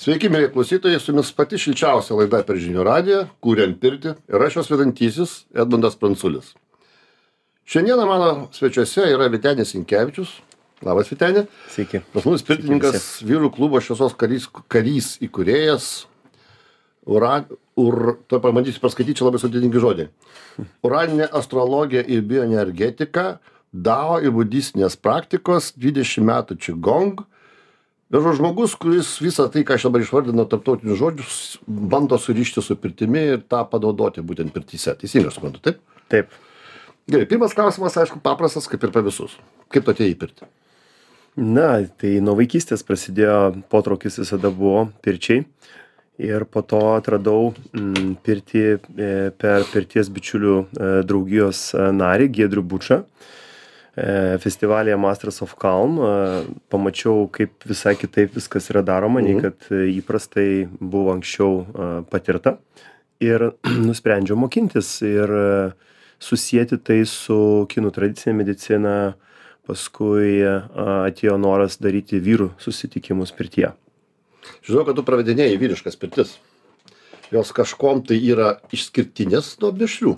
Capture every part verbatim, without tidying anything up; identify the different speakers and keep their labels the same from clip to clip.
Speaker 1: Sveiki, mėly klausytojai, su jumis pati šilčiausia laida per žinių radiją, Kuriam pirtį, ir aš jos vedantysis Edmundas Pranculis. Šiandieną mano svečiuose yra Vytenis Sinkevičius. Labas, Vyteni.
Speaker 2: Sveiki.
Speaker 1: Pas mus pirtininkas, vyrų klubo Šviesos karys, karys įkūrėjas. Ura, ur, to pamatysiu paskaityti, čia labai sudėtingi žodžiai. Uraninė astrologija ir bioenergetika, Dao ir budistinės praktikos, dvidešimt metų Qigong. Vežo žmogus, kuris visą tai, ką aš dabar išvardinu tarptautinius žodžius, bando surišti su pirtimi ir tą panaudoti būtent pirtyse. Teisingai suprantu, taip?
Speaker 2: Taip.
Speaker 1: Gerai, pirmas klausimas, aišku, paprastas, kaip ir per visus. Kaip tu atėjai į pirtį?
Speaker 2: Na, tai nuo vaikystės prasidėjo, potraukis visada buvo pirčiai. Ir po to atradau m, pirtį e, per pirties bičiulių e, draugijos e, narį Giedrių Bučą. Festivalyje Masters of Calm pamačiau, kaip visai kitaip viskas yra daroma, nei kad įprastai buvo anksčiau patirta. Ir nusprendžiau mokintis ir susijęti tai su kinų tradicinė medicina. Paskui atėjo noras daryti vyrų susitikimus pirtyje.
Speaker 1: Žinau, kad tu pravedinėjai vyriškas pirtis. Jos kažkom tai yra išskirtinės nuo mišrių.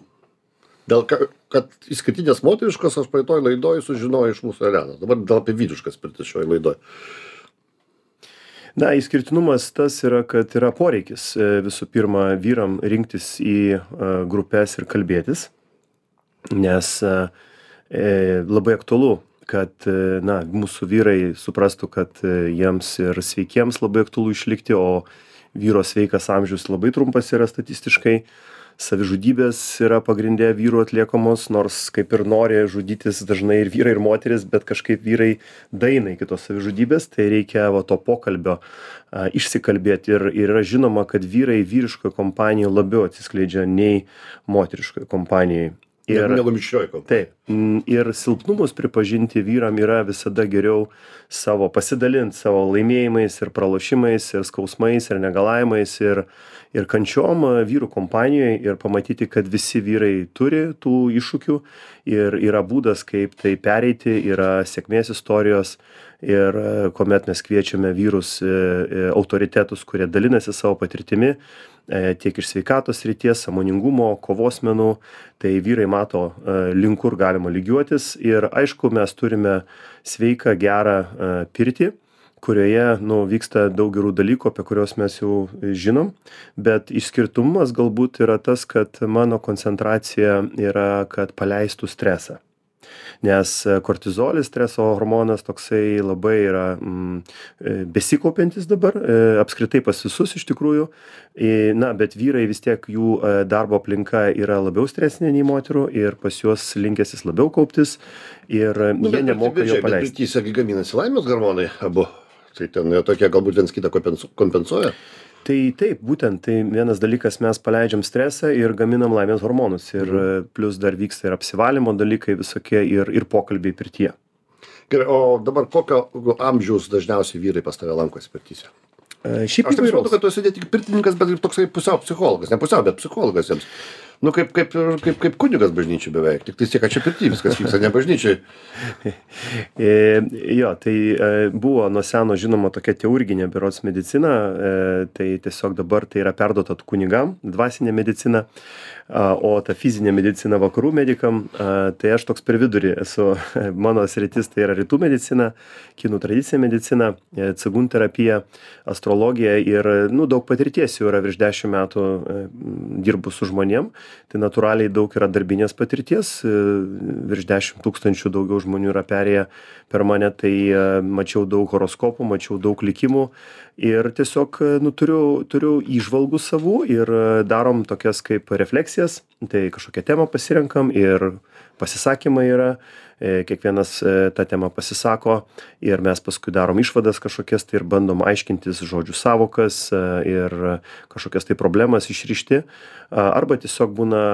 Speaker 1: Dėl kad išskirtinės moteriškos aš praeitoj laidoj sužinojau iš mūsų Elenos. Dabar dėl apie vyriškas pirtis šioj laidoj.
Speaker 2: Na, išskirtinumas tas yra, kad yra poreikis visų pirma vyram rinktis į grupes ir kalbėtis, nes e, labai aktualu, kad na, mūsų vyrai suprastų, kad jiems ir sveikiems labai aktualu išlikti, o vyro sveikas amžius labai trumpas yra statistiškai. Savižudybės yra pagrindė vyrų atliekamos, nors kaip ir nori žudytis dažnai ir vyrai, ir moteris, bet kažkaip vyrai daina iki tos savižudybės, tai reikia va, to pokalbio a, išsikalbėti. Ir, ir yra žinoma, kad vyrai vyriškoje kompanijoje labiau atsiskleidžia nei moteriškoje kompanijoje. Ir,
Speaker 1: negu mišrioj kompanijoje.
Speaker 2: Taip. Ir silpnumus pripažinti vyram yra visada geriau savo pasidalinti savo laimėjimais ir pralošimais ir skausmais ir negalavimais ir, ir kančiom vyrų kompanijoje ir pamatyti, kad visi vyrai turi tų iššūkių ir yra būdas, kaip tai pereiti, yra sėkmės istorijos ir kuomet mes kviečiame vyrus autoritetus, kurie dalinasi savo patirtimi, tiek iš sveikatos srities, sąmoningumo, kovos menų, tai vyrai mato link kur galima lygiuotis ir aišku, mes turime sveiką, gerą pirtį, kurioje nu, vyksta daug gerų dalykų, apie kuriuos mes jau žinom, bet išskirtumas galbūt yra tas, kad mano koncentracija yra, kad paleistų stresą. Nes kortizolis, streso hormonas toksai labai yra mm, besikaupiantis dabar, e, apskritai pas visus iš tikrųjų, e, na, bet vyrai vis tiek jų e, darbo aplinka yra labiau stresinė nei moterų ir pas juos linkęs jis labiau kauptis ir
Speaker 1: nu,
Speaker 2: jie nemoka jo paleisti.
Speaker 1: Bet pirtyse gaminasi laimės hormonai abu, tai ten tokie galbūt viens kitą kompensuoja.
Speaker 2: Tai taip, būtent, tai vienas dalykas mes paleidžiam stresą ir gaminam laimės hormonus ir mhm. plus dar vyksta ir apsivalymo dalykai visokie ir, ir pokalbiai pirtyje.
Speaker 1: Gerai, o dabar kokio amžiaus dažniausiai vyrai pas tave lankosi pirtyse?
Speaker 2: E, šiaip
Speaker 1: Aš taip suprantu, kad tu esi ne tik pirtininkas, bet ir toksai pusiau psichologas, ne pusiau, bet psichologas jiems. Nu, kaip, kaip, kaip, kaip kunigas bažnyčiai beveik, tik tai tiek, kad čia pirty viskas vyksta, ne bažnyčiai.
Speaker 2: E, jo, tai e, buvo nuo seno žinoma tokia teurginė berods medicina, e, tai tiesiog dabar tai yra perduota kunigam, dvasinė medicina, a, o ta fizinė medicina vakarų medikam, a, tai aš toks per vidurį esu, mano sritis tai yra rytų medicina, kinų tradicinė medicina, e, cigun terapija, astrologija ir nu, daug patirties jau yra virš dešimt metų e, dirbu su žmonėm. Tai natūraliai daug yra darbinės patirties, virš dešimt tūkstančių daugiau žmonių yra perėję per mane, tai mačiau daug horoskopų, mačiau daug likimų ir tiesiog nu, turiu, turiu įžvalgų savų ir darom tokias kaip refleksijas, tai kažkokią temą pasirenkam ir pasisakymai yra, kiekvienas tą temą pasisako ir mes paskui darom išvadas kažkokias tai ir bandom aiškintis žodžių savokas ir kažkokias tai problemas išrišti. Arba tiesiog būna,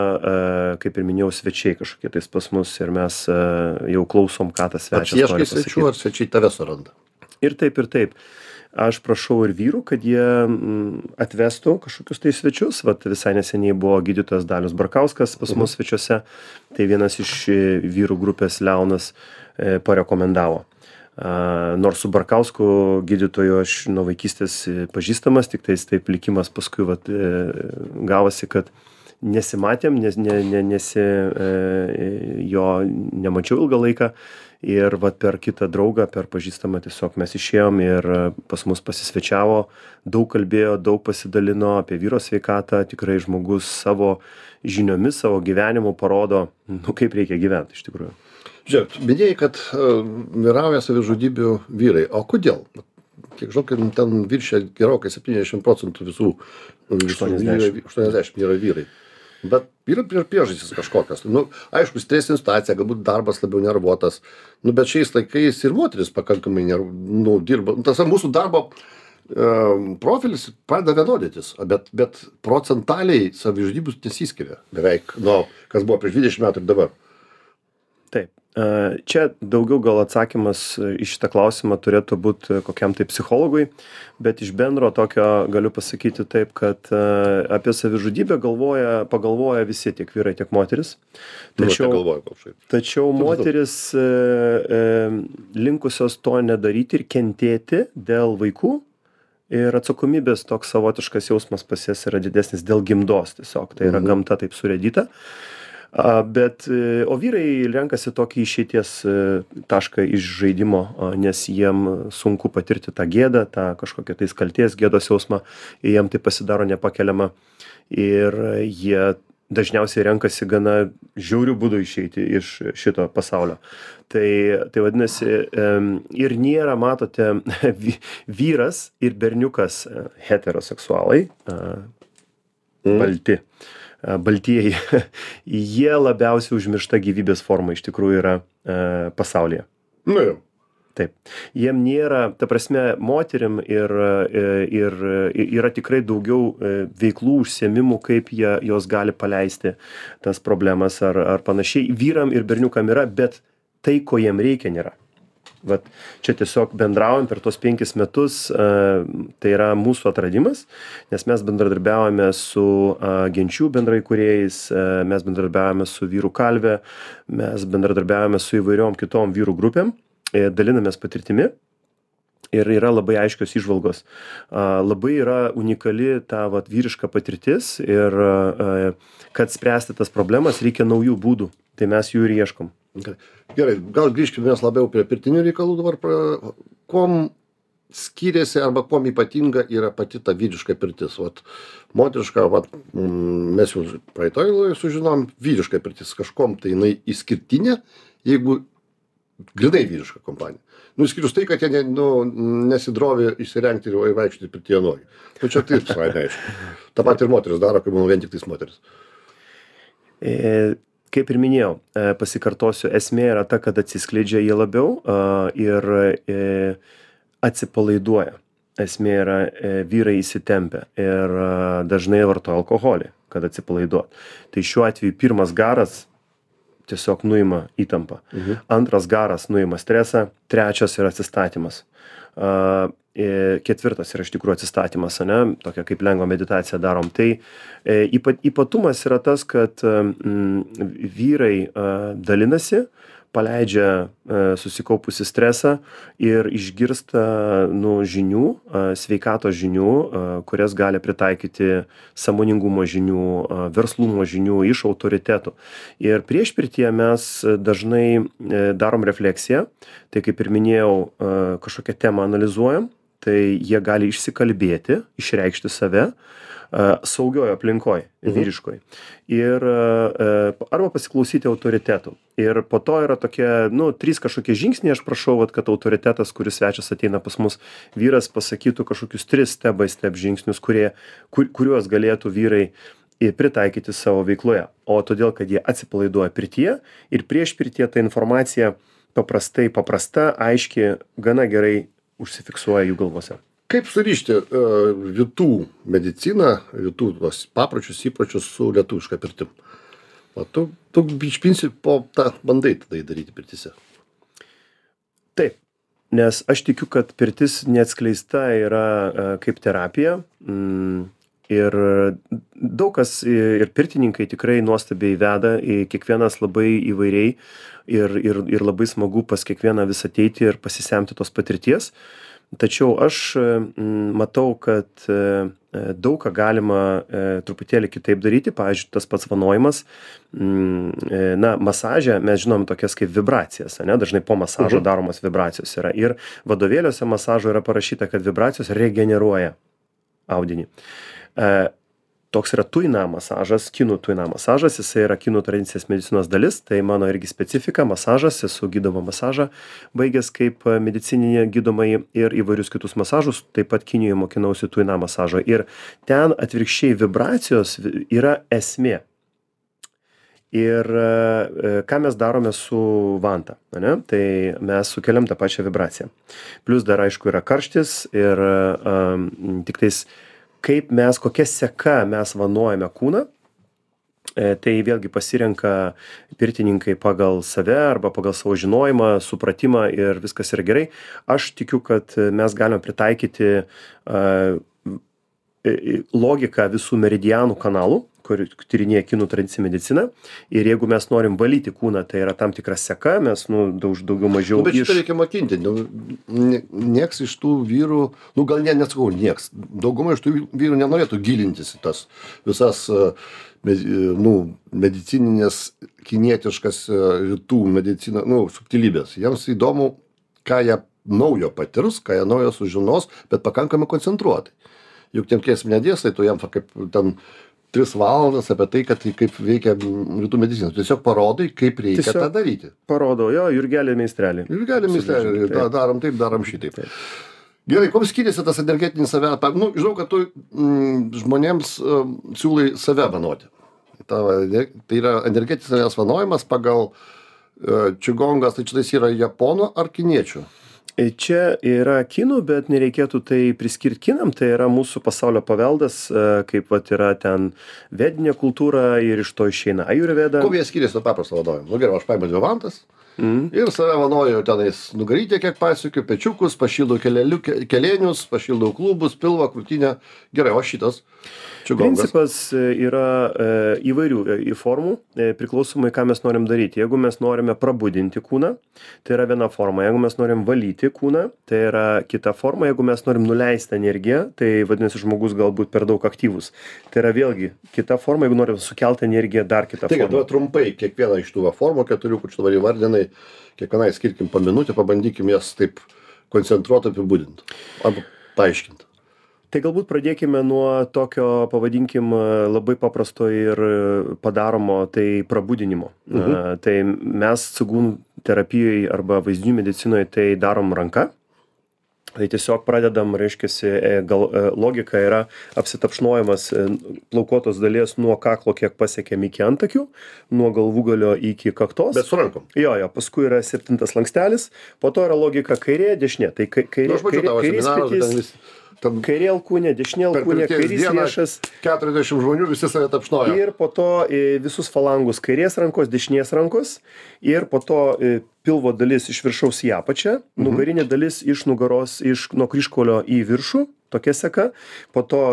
Speaker 2: kaip ir minėjau, svečiai kažkokie tais pas mus ir mes jau klausom, ką tas svečias nori pasakyti.
Speaker 1: Atsieškai svečių ar svečiai tave suranda?
Speaker 2: Ir taip, ir taip. Aš prašau ir vyrų, kad jie atvestų kažkokius tai svečius. Vat visai neseniai buvo gydytojas Dalius Barkauskas pas mus svečiuose. Tai vienas iš vyrų grupės Leonas parekomendavo. Nors su Barkausku gydytoju aš nuo vaikystės pažįstamas, tik tais taip likimas paskui vat, gavosi, kad nesimatėm, nes, ne, ne, nesi, jo nemačiau ilgą laiką. Ir vat per kitą draugą, per pažįstamą tiesiog mes išėjom ir pas mus pasisvečiavo, daug kalbėjo, daug pasidalino apie vyro sveikatą, tikrai žmogus savo žiniomis, savo gyvenimu parodo, nu, kaip reikia gyventi iš tikrųjų.
Speaker 1: Žiūrėk, minėjai, kad uh, vyrauja savižudybių vyrai, o kodėl? Kiek žinau, kad ten viršia gerokai septyniasdešimt procentų visų, visų vyrai, aštuoniasdešimt yra vyrai. Bet yra priežastys kažkokios. Nu, aišku, stresinė situacija, galbūt darbas labiau nervuotas. Nu, bet šiais laikais ir moteris pakankamai nerv, nu, dirba. Tas mūsų darbo e, profilis pradeda vienodytis, bet, bet procentaliai savižudybės nesiskiria beveik nuo kas buvo prieš dvidešimt metų ir dabar.
Speaker 2: Taip. Čia daugiau gal atsakymas į šitą klausimą turėtų būti kokiam tai psichologui, bet iš bendro tokio galiu pasakyti taip, kad apie savižudybę galvoja, pagalvoja visi, tiek vyrai, tiek moteris. Tačiau,
Speaker 1: nu, galvoju,
Speaker 2: tačiau moteris e, e, linkusios to nedaryti ir kentėti dėl vaikų ir atsakomybės toks savotiškas jausmas pas jas yra didesnis dėl gimdos tiesiog, tai yra mhm. gamta taip surėdyta. Bet, o vyrai renkasi tokį išeities tašką iš žaidimo, nes jiem sunku patirti tą gėdą, tą kažkokią tai kaltės gėdos jausmą, jiem tai pasidaro nepakeliama ir jie dažniausiai renkasi gana žiaurių būdų išeiti iš šito pasaulio. Tai, tai vadinasi, ir nėra, matote, vyras ir berniukas heteroseksualai, balti. Baltieji, jie labiausiai užmiršta gyvybės forma iš tikrųjų yra e, pasaulyje.
Speaker 1: Nu jau.
Speaker 2: Taip. Jiem nėra, ta prasme, moterim ir, ir, ir yra tikrai daugiau veiklų, užsiėmimų, kaip jie, jos gali paleisti tas problemas ar, ar panašiai. Vyram ir berniukam yra, bet tai, ko jiem reikia, nėra. Vat čia tiesiog bendraujam per tos penkis metus, tai yra mūsų atradimas, nes mes bendradarbiavome su genčių bendraįkūrėjais, mes bendradarbiavome su vyrų kalve, mes bendradarbiavome su įvairiom kitom vyrų grupėm, dalinamės patirtimi ir yra labai aiškios įžvalgos. Labai yra unikali ta vat, vyriška patirtis ir kad spręsti tas problemas reikia naujų būdų, tai mes jų ir ieškom.
Speaker 1: Gerai, gal grįžkime mes labiau prie pirtinių reikalų dabar. Kuom skiriasi arba kuom ypatinga yra pati ta vyriška pirtis? Vat, moteriška, vat, mes jau praeitoj laidoje sužinom, vyriška pirtis kažkom tai jinai išskirtinė, jeigu grinai vyriška kompanija. Nu, išskyrus tai, kad jie ne, nu, nesidrovė įsirengti ir vaikščioti pirtyje nuogi. Nu, čia tai visai neaišku. Ta pat ir moteris daro, kaip manau, vien tik tais moteris.
Speaker 2: E... Kaip ir minėjau, pasikartosiu, esmė yra ta, kad atsiskleidžia jie labiau ir atsipalaiduoja. Esmė yra vyrai įsitempia ir dažnai vartoja alkoholį, kad atsipalaiduot. Tai šiuo atveju pirmas garas tiesiog nuima įtampą. Mhm. Antras garas nuima stresą, trečias yra atsistatymas. Ketvirtas yra iš tikrųjų atsistatymas, ane, tokia kaip lengva meditacija darom. Tai ypatumas yra tas, kad vyrai dalinasi, paleidžia susikaupusi stresą ir išgirsta nu, žinių, sveikatos žinių, kurias gali pritaikyti sąmoningumo žinių, verslumo žinių iš autoritetų. Ir prieš pirtyje mes dažnai darom refleksiją, tai kaip ir minėjau, kažkokią temą analizuojam, tai jie gali išsikalbėti, išreikšti save saugioje aplinkoje, vyriškoje. Ir arba pasiklausyti autoritetų. Ir po to yra tokie, nu, trys kažkokie žingsniai, aš prašau, vat, kad autoritetas, kuris svečias ateina pas mus, vyras pasakytų kažkokius tris step by step žingsnius, kurie, kur, kuriuos galėtų vyrai pritaikyti savo veikloje. O todėl, kad jie atsipalaiduoja pirtyje ir prieš pirtyje ta informacija paprastai, paprasta, aiški, gana gerai užsifiksuoja jų galvose.
Speaker 1: Kaip surišti uh, rytų mediciną, rytų tos papročius, įpročius su lietuviška pirtim? O tu, tu iš principo tą bandai tada daryti pirtise.
Speaker 2: Taip, nes aš tikiu, kad pirtis neatskleista yra uh, kaip terapija. Mm, ir daug kas ir pirtininkai tikrai nuostabiai veda, kiekvienas labai įvairiai ir, ir, ir labai smagu pas kiekvieną vis ateiti ir pasisemti tos patirties. Tačiau aš matau, kad daug ką galima truputėlį kitaip daryti. Pavyzdžiui, tas pats vanojimas, na, masaže mes žinom tokias kaip vibracijas, ne? Dažnai po masažo daromos vibracijos yra. Ir vadovėliuose masažo yra parašyta, kad vibracijos regeneruoja audinį. Toks yra tuina masažas, kinų tuina masažas, jisai yra kinų tradicinės medicinos dalis, tai mano irgi specifika, masažas, esu gydomą masažą baigęs kaip medicininė gydomai ir įvairius kitus masažus, taip pat Kinijoje mokinausi tuina masažo ir ten atvirkščiai vibracijos yra esmė. Ir ką mes darome su vanta, ne? Tai mes sukeliam tą pačią vibraciją. Plius dar aišku yra karštis ir um, tik tais kaip mes, kokia seka mes vanojame kūną, e, tai vėlgi pasirenka pirtininkai pagal save arba pagal savo žinojimą, supratimą ir viskas yra gerai. Aš tikiu, kad mes galime pritaikyti uh, logiką visų meridianų kanalų, kur tyrinėja kinų tradicinė medicina. Ir jeigu mes norim valyti kūną, tai yra tam tikra seka, mes, nu, daug, daugiau mažiau...
Speaker 1: Nu, bet šitą iš... reikia mokinti. Nu, nieks iš tų vyrų, nu, gal ne, nesakau, nieks. Dauguma iš tų vyrų nenorėtų gilintis į tas visas, nu, medicininės, kinietiškas rytų medicina, nu, subtilybės. Jiems įdomu, ką jie naujo patirs, ką jie naujo sužinos, bet pakankamai koncentruotai. Juk tiem kėsim nedėstai, tu jam kaip ten tris valandas apie tai, kad kaip veikia rytų medicina. Tiesiog parodai, kaip reikia Tiesiog tą daryti.
Speaker 2: Parodau, jo, Jurgelį meistrelį.
Speaker 1: Jurgelį meistrelį, da, darom taip, darom šitaip. Taip. Gerai, kuo skiriasi tas energetinis save? Nu, žinau, kad tu mm, žmonėms uh, siūlai save vanoti. Ta, tai yra energetinis savęs vanojimas pagal uh, čigongas, tai čia tais yra japonų ar kiniečių?
Speaker 2: Čia yra kinų, bet nereikėtų tai priskirti kinam, tai yra mūsų pasaulio paveldas, kaip vat yra ten vedinė kultūra ir iš to išeina ajurveda.
Speaker 1: Kuo jie skiriasi nuo paprasto vanojimo? Nu gerai, aš paimu dvi vantas mm. ir save vanoju tenais nugarytę, kiek pasiekiu, pečiukus, pašildau keleliu, kelėnius, pašildau klubus, pilvą, krūtinę. Gerai, o šitas?
Speaker 2: Principas yra e, įvairių e, formų, e, priklausomai, ką mes norim daryti. Jeigu mes norime prabudinti kūną, tai yra viena forma. Jeigu mes norim valyti kūną, tai yra kita forma. Jeigu mes norim nuleisti energiją, tai vadinasi, žmogus galbūt per daug aktyvus. Tai yra vėlgi kita forma. Jeigu norim sukelti energiją, dar kita
Speaker 1: Taigi,
Speaker 2: forma.
Speaker 1: Tai trumpai, kiekvieną iš tų formų, keturių, kur čia dabar įvardinai, kiekvienai skirkim po minutę, pabandykim jas taip koncentruotai apibūdinti. Arba paaiškinti.
Speaker 2: Tai galbūt pradėkime nuo tokio, pavadinkim, labai paprasto ir padaromo, tai prabudinimo. Mhm. A, tai mes cigūnų terapijoje arba vaizdinių medicinoje tai darom ranka. Tai tiesiog pradedam, reiškiasi, gal, logika yra apsitapšnojimas plaukuotos dalies nuo kaklo, kiek pasiekėm iki antakių, nuo galvūgalio iki kaktos.
Speaker 1: Bet su rankom.
Speaker 2: Jo, jo, paskui yra septintas lankstelis, po to yra logika kairė, dešinė. Tai kairė,
Speaker 1: nu, kairė, kairės petys.
Speaker 2: Tam kairė alkūnė, dešinė alkūnė, kairys riešas.
Speaker 1: keturiasdešimt žmonių visi save tapšnoja.
Speaker 2: Ir po to visus falangus kairės rankos, dešinės rankos. Ir po to pilvo dalis iš viršaus į apačią, mhm. nugarinė dalis iš nugaros, iš nuo kryžkaulio į viršų, tokia seka. Po to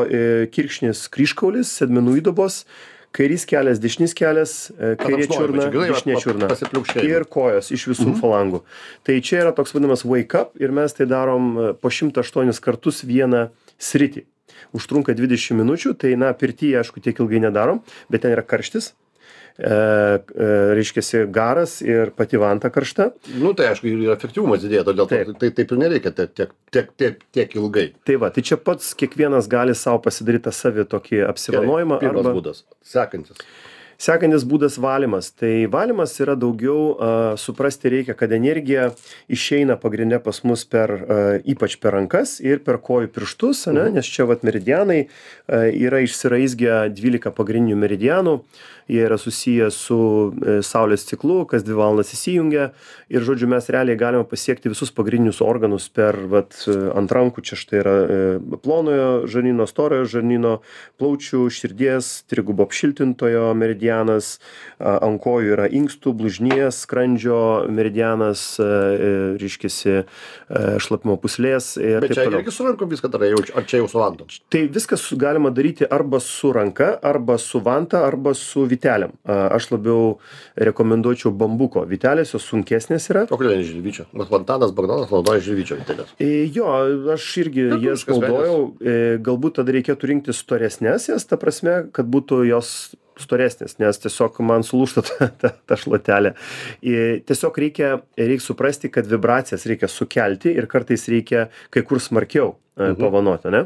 Speaker 2: kirkšnis kryžkaulis, sėdmenų įdubos. Kairys kelias, dešinis kelias, kairė čiurna, dešinė čiurna ir kojos iš visų mhm. falangų. Tai čia yra toks vadinamas wake up ir mes tai darom po šimtą aštuonis kartus vieną sritį. Užtrunka dvidešimt minučių, tai na, pirtyje, aišku, tiek ilgai nedarom, bet ten yra karštis. E, e, reiškiasi garas ir pati vanta karšta.
Speaker 1: Nu tai aišku, ir efektyvumas didėja, todėl taip. Tai taip ir nereikia tiek, tiek, tiek, tiek, tiek ilgai.
Speaker 2: Tai va, tai čia pats kiekvienas gali savo pasidaryti tą savį tokį apsivanojimą.
Speaker 1: Gerai, pirmas
Speaker 2: arba...
Speaker 1: būdas, sekantis.
Speaker 2: Sekantis būdas valymas. Tai valymas yra daugiau, uh, suprasti reikia, kad energija išeina pagrindė pas mus per, uh, ypač per rankas ir per kojų pirštus, ne? Nes čia vat meridianai uh, yra išsiraizgę dvylika pagrindinių meridianų. Jie yra susiję su e, saulės ciklu, kas dvi valandas įsijungia ir, žodžiu, mes realiai galime pasiekti visus pagrindinius organus per, vat, ant rankų, čia štai yra e, plonojo žarnyno, storojo žarnyno, plaučių, širdies, trigubo apšiltintojo meridiano. meridianas, ant kojų yra inkstų, blužnies, skrandžio meridianas, reiškiasi šlapimo pūslės ir
Speaker 1: Bet
Speaker 2: taip
Speaker 1: čia
Speaker 2: toliau.
Speaker 1: irgi su rankom viską darai, jau- ar čia jau su vantom?
Speaker 2: Tai viskas galima daryti arba su ranka, arba su vanta, arba su vytelėm. Aš labiau rekomenduočiau bambuko. Vytelės jos sunkesnės yra.
Speaker 1: O kodėl ne žilvyčio? Mat Vantanas Bagdonas naudoja žilvyčio vitelės.
Speaker 2: E, Jo, aš irgi
Speaker 1: Bet
Speaker 2: jas
Speaker 1: viskas
Speaker 2: naudojau. E, Galbūt tada reikėtų rinkti storesnės jas, ta prasme, kad būtų jos storesnės, nes tiesiog man sulūžta ta, ta, ta šluotelė. E, Tiesiog reikia, reikia suprasti, kad vibracijas reikia sukelti ir kartais reikia kai kur smarkiau mhm. pavanoti, ne?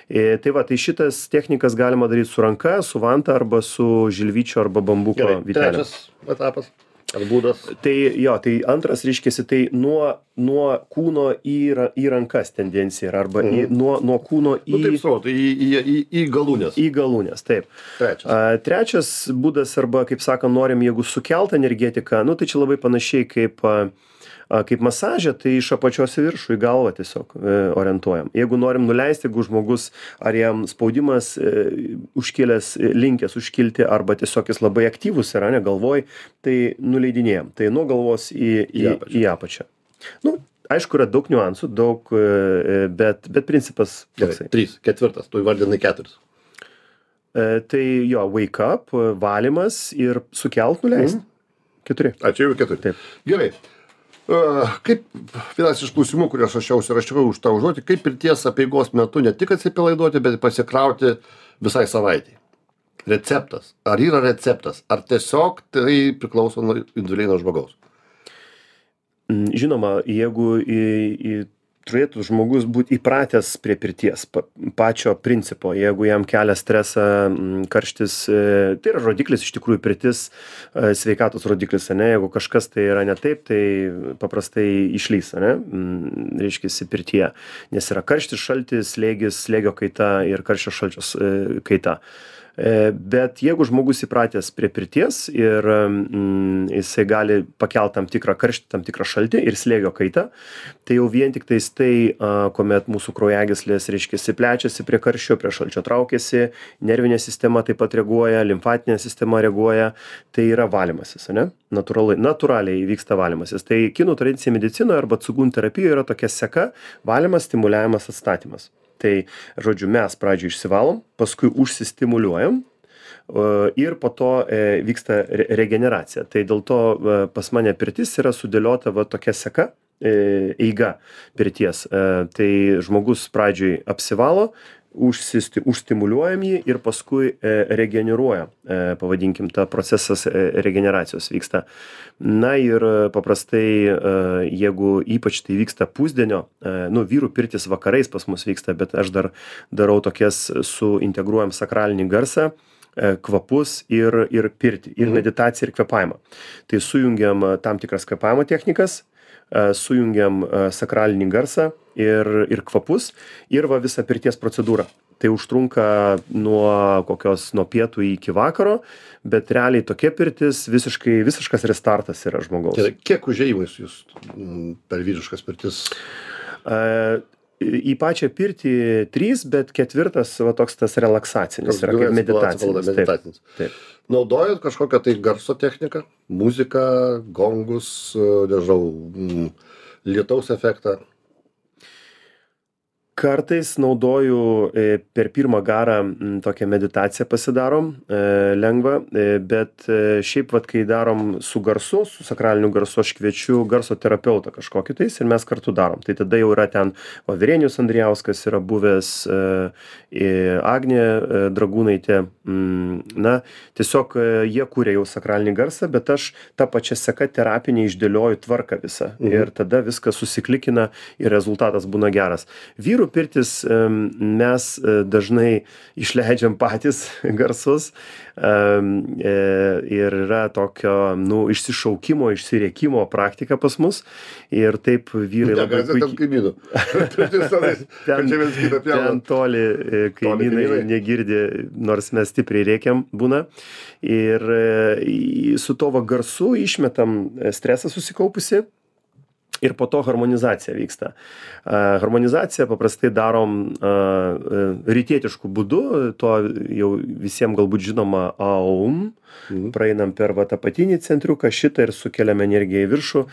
Speaker 2: E, Tai va, tai šitas technikas galima daryti su ranka, su vanta arba su žilvyčio arba bambuko
Speaker 1: Gerai,
Speaker 2: vytelė.
Speaker 1: trečias etapas. Ar būdas?
Speaker 2: Tai jo, tai antras reiškiasi, tai nuo, nuo kūno į, ra- į rankas tendencija yra, arba į, nuo, nuo kūno į,
Speaker 1: Nu taip savo, tai į, į, į, į galūnės.
Speaker 2: į galūnės, taip.
Speaker 1: Trečias.
Speaker 2: A, Trečias būdas, arba, kaip sakant, norim, jeigu sukelt energetiką, nu tai čia labai panašiai kaip, a, a, kaip masažė, tai iš apačios į viršų, į galvą tiesiog e, orientuojam. Jeigu norim nuleisti, jeigu žmogus, ar jam spaudimas e, užkėlęs, e, linkęs užkilti, arba tiesiog jis labai aktyvus yra, ne galvoj, tai nuleidinėjam. Tai nuo galvos į, į,
Speaker 1: Į apačią.
Speaker 2: į apačią. Nu, aišku, yra daug niuansų, daug, e, bet, bet principas
Speaker 1: Gerai,
Speaker 2: toksai.
Speaker 1: trys, ketvirtas, tu įvardinai keturis.
Speaker 2: E, Tai jo, wake up, valymas ir sukelt nuleist. Keturi.
Speaker 1: A, čia jau keturi.
Speaker 2: Taip.
Speaker 1: Gerai. Uh, kaip vienas iš klausimų, kurį aš rašiau, užsirašiau už tą užduotį, kaip pirties apeigos metu ne tik atsipalaiduoti, bet ir pasikrauti visai savaitai. Receptas. Ar yra receptas? Ar tiesiog tai priklauso nuo individualiai nuo žmogaus?
Speaker 2: Mm, Žinoma, jeigu į, į turėtų žmogus būti įpratęs prie pirties, pa, pačio principo, jeigu jam kelia stresą, mm, karštis, e, tai yra rodiklis, iš tikrųjų pirtis, e, sveikatos rodiklis, ne, jeigu kažkas tai yra ne taip, tai paprastai išlys, ne, mm, reiškia pirtyje, nes yra karštis, šaltis, slėgis, slėgio kaita ir karščio šalčios e, kaita. E, Bet jeigu žmogus įpratęs prie pirties ir mm, jisai gali pakelti tam tikrą karštį, tam tikrą šaltį ir slėgio kaitą, tai jau vien tik tais tai, a, kuomet mūsų kraujagyslės, reiškia, plečiasi prie karščio, prie šalčio traukiasi, nervinė sistema taip pat reaguoja, limfatinė sistema reaguoja, tai yra valymasis, ne? Natūraliai, natūraliai vyksta valymasis. Tai kinų tradicinė medicinoje arba cugun terapijoje yra tokia seka: valymas, stimuliavimas, atstatymas. Tai, žodžiu, mes pradžioje išsivalom, paskui užsistimuliuojam e, ir po to e, vyksta re- regeneracija. Tai dėl to e, pas mane pirtis yra sudėliota va tokia seka, e, eiga pirties. E, Tai žmogus pradžioje apsivalo, užsisti, užstimuliuojam jį ir paskui e, regeneruoja, e, pavadinkim, ta procesas e, regeneracijos vyksta. Na ir e, paprastai, e, jeigu ypač tai vyksta pusdienio, e, nu, vyrų pirtis vakarais pas mus vyksta, bet aš dar darau tokias, suintegruojam sakralinį garsą, e, kvapus ir, ir pirtį, ir meditaciją, ir kvėpavimą. Tai sujungiam e, tam tikras kvėpavimo technikas, e, sujungiam e, sakralinį garsą ir, ir kvapus, ir va visą pirties procedūrą. Tai užtrunka nuo kokios, nuo pietų iki vakaro, bet realiai tokia pirtis visiškai, visiškas restartas yra žmogaus.
Speaker 1: Tai kiek užėjimais jūs mm, per vyriškas pirtis?
Speaker 2: E, Į pačią pirtį trys, bet ketvirtas va toks tas relaksacinis yra, kaip meditacinis. Taip,
Speaker 1: meditacinis.
Speaker 2: taip.
Speaker 1: Naudojat kažkokią tai garso techniką, muziką, gongus, e, nežinau, mm, lietaus efektą?
Speaker 2: Kartais naudoju e, per pirmą garą m, tokią meditaciją pasidarom, e, lengvą, e, bet e, šiaip vat, kai darom su garsu, su sakraliniu garsu, aš kviečiu garso terapeutą kažkokį tais ir mes kartu darom. Tai tada jau yra ten va, Virenijus Andrijauskas yra buvęs, e, e, Agnė e, Dragūnaitė. Mm, na, tiesiog e, jie kūrė jau sakralinį garsą, bet aš tą pačią seką terapinį išdėlioju tvarką visą. Mhm. Ir tada viskas susiklikina ir rezultatas būna geras. Vyrų pirtis em, mes e, dažnai išleidžiam patys garsus em, e, ir yra tokio, nu, išsišaukimo, išsiriekimo praktika pas mus ir taip vyrai labai
Speaker 1: Negazė ten kaimynų. Pirtis tenais, kad čia vienas kitą pjauna.
Speaker 2: ten toli e, kaimynai
Speaker 1: kaimynai.
Speaker 2: negirdi, nors mes stipriai rėkiam būna. Ir e, į- su to va garsu išmetam e, stresą susikaupusi. ir po to harmonizacija vyksta. Harmonizaciją paprastai darom rytietišku būdu, to jau visiems galbūt žinoma Aum, mhm. praeinam per va, apatinį centriuką šitą ir sukeliam energiją į viršų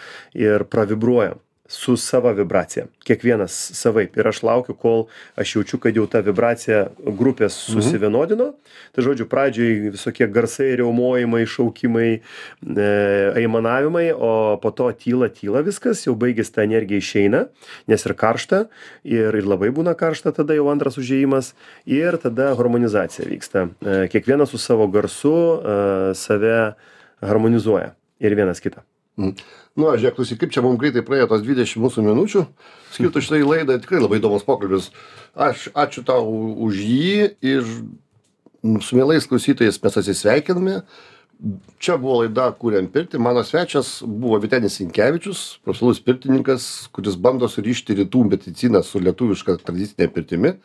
Speaker 2: ir pravibruojam su sava vibracija. Kiekvienas savaip. Ir aš laukiu, kol aš jaučiu, kad jau ta vibracija grupės susivienodino. Mhm. Tai žodžiu, pradžioj visokie garsai, riaumojimai, šaukimai, e, aimanavimai, o po to tyla, tyla viskas, jau baigės ta energija išeina, nes ir karšta, ir, ir labai būna karšta, tada jau antras užėjimas, ir tada harmonizacija vyksta. E, kiekvienas su savo garsu e, save harmonizuoja ir vienas kitą.
Speaker 1: Mm. Nu, aš žiūrėk, klausyk, kaip čia mums greitai praėjo tos dvidešimt mūsų minučių, skirtų šitai laidai, tikrai labai įdomus pokalbis. Aš ačiū tau už jį ir su mielais klausytojais mes atsisveikiname. Čia buvo laida Kuriam pirtį, mano svečias buvo Vytenis Sinkevičius, profesionalus pirtininkas, kuris bando surišti rytų mediciną su lietuviška tradicinė pirtimi.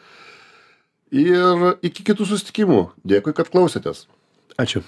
Speaker 1: Ir iki kitų susitikimų. Dėkui, kad klausėtės.
Speaker 2: Ačiū.